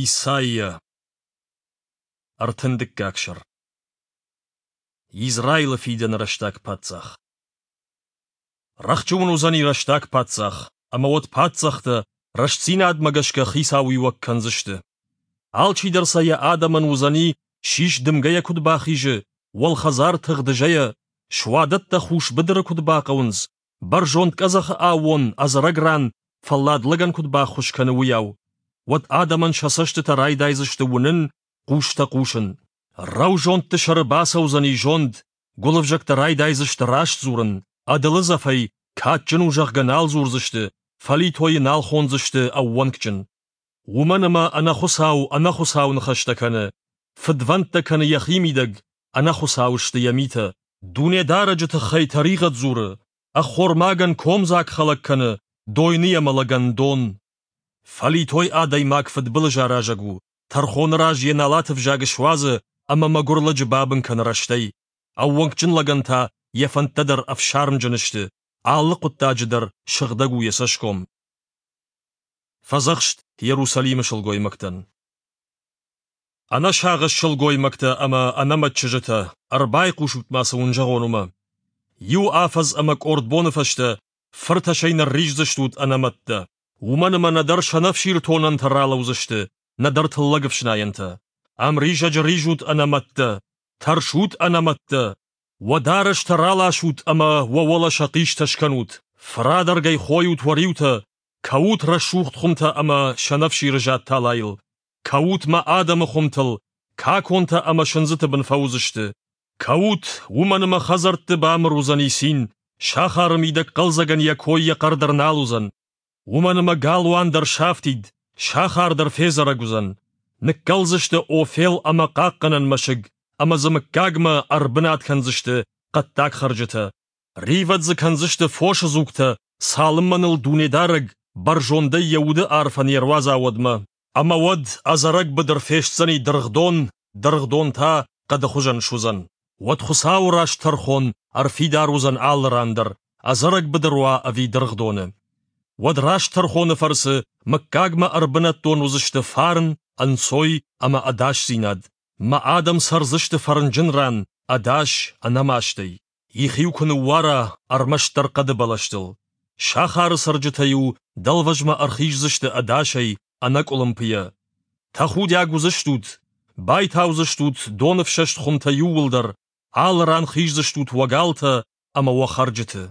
Исайя, ӕртындыккаг сӕр. Израилы фидӕны рӕстаг паддзах. Рӕхджы уын уыдзӕни рӕстаг паддзах, ӕмӕ уӕд паддзӕхтӕ рӕстдзинадмӕ гӕсгӕ хицауиуӕг кӕндзысты. Алчидӕр сӕ йӕ адӕмӕн уыдзӕни, сис дымгӕйӕ куыд бахизы, уӕлхӕдзар тыгъдызӕйӕ, суадӕттӕ хус быдыры куыд бахъӕуынц, бӕрзонд къӕдзӕхы аууон ӕдзӕрӕг ран фӕллад лӕгӕн куыд баххуыс кӕны, уыйау. Уӕд адӕмӕн сӕ цӕстытӕ райдайдзысты уынын, хъустӕ хъусын. Рӕузондты сӕры бацӕудзӕни зонд, гуылывзӕгтӕ райдайдзысты раст дзурын, ӕдылыдзӕфӕй кадджын у, зӕгъгӕ, нал дзурдзысты, фӕлитойы нал хондзысты ӕууӕнкджын. Уымӕн ӕмӕ ӕнӕхуыцау ӕнӕхуыцау ныхӕстӕ кӕны, фыдвӕндтӕ кӕны йӕхимидӕг, ӕнӕхуыцау сты йӕ митӕ. Дунедарӕджы тыххӕй тӕригъӕд дзуры, ӕххормагӕн комдзаг хӕлӕг кӕны, дойныйӕ мӕлӕгӕн дон. Фӕлитой адӕймаг фыдбылыз аразӕг у, тӕрхоны раз йӕ налат ӕвзаг суадзы ӕмӕ мӕгуыр лӕджы бабын кӕны рӕстӕй. Ӕууӕнкджын лӕгӕн та йӕ фӕндтӕ дӕр ӕфсармджын сты, алы хъуыддаджы дӕр сыгъдӕг у йӕ цӕсгом. Фӕдзӕхст Иерусалимы сылгоймӕгтӕн. Ӕнӕсагъӕс сылгоймӕгтӕ ӕмӕ ӕнӕмӕт чызджытӕ, ӕрбайхъусут-ма, цы уын зӕгъон, уымӕ. Иу афӕдз ӕмӕ къорд боны фӕстӕ фыртӕсӕй нырриздзыстут ӕнӕмӕттӕ. Уымӕн ӕмӕ нӕдӕр сӕнӕфсиртонӕнтӕ ралӕудзысты, нӕдӕр тыллӕгӕфснайӕнтӕ. Ӕмризӕджы ризут ӕнӕмӕттӕ, тӕрсут ӕнӕмӕттӕ, уӕ дарӕстӕ раласут ӕмӕ уӕ уӕлӕ сӕхъистӕ скӕнут, фырадӕргӕй хойут уӕ риутӕ, кӕут рӕсугъд хуымтӕ ӕмӕ сӕнӕфсиры зад талайыл, кӕут мӕ адӕмы хуымтыл, каконтӕ ӕмӕ сындзыты бын фӕуыдзысты. Кӕут, уымӕн ӕмӕ хӕдзӕртты бамыр уыдзӕни цин, сахары мидӕг хъӕлдзӕгӕн йӕ кой йӕ хъӕр дӕр нал уыдзӕн. Уымӕн ӕмӕ галуан дӕр сафтид, сахар дӕр федзӕрӕг уыдзӕн. Ныккӕлдзысты Офел ӕмӕ хъахъхъӕнӕн мӕсыг, ӕмӕ дзы мыггагмӕ ӕрбынат кӕндзысты хъӕддаг хӕрджытӕ. Ривӕд дзы кӕндзысты фосы дзугтӕ, цалынмӕ ныл Дунедарӕг бӕрзондӕй йӕ уды арфӕ не руадза, уӕдмӕ. Ӕмӕ уӕд ӕдзӕрӕг быдыр фестдзӕни дыргъдон, дыргъдон та хъӕды хуызӕн суыдзӕн. Уӕд Хуыцауы раст тӕрхон ӕрфидар уыдзӕн алы ран дӕр, ӕдзӕрӕг быдыр уа ӕви дыргъдоны. Уӕд раст тӕрхоны фӕрцы мыггагмӕ ӕрбынӕттон уыдзысты фарн, ӕнцой ӕмӕ ӕдасдзинад. Мӕ адӕм цӕрдзысты фӕрнджын ран, ӕдас, ӕнӕмастӕй. Их-иу куы ныууара ӕрмӕстдӕр хъӕды бӕлӕстыл. Сахары цӕрджытӕ-иу дӕлвӕзмӕ ӕрхиздзысты ӕдасӕй, ӕнӕкъуылымпыйӕ. Тӕхудиаг уыдзыстут, байтаудзыстут доныфсӕст хуымтӕ иууылдӕр, алы ран хиздзыстут уӕ галтӕ ӕмӕ уӕ хӕрджыты.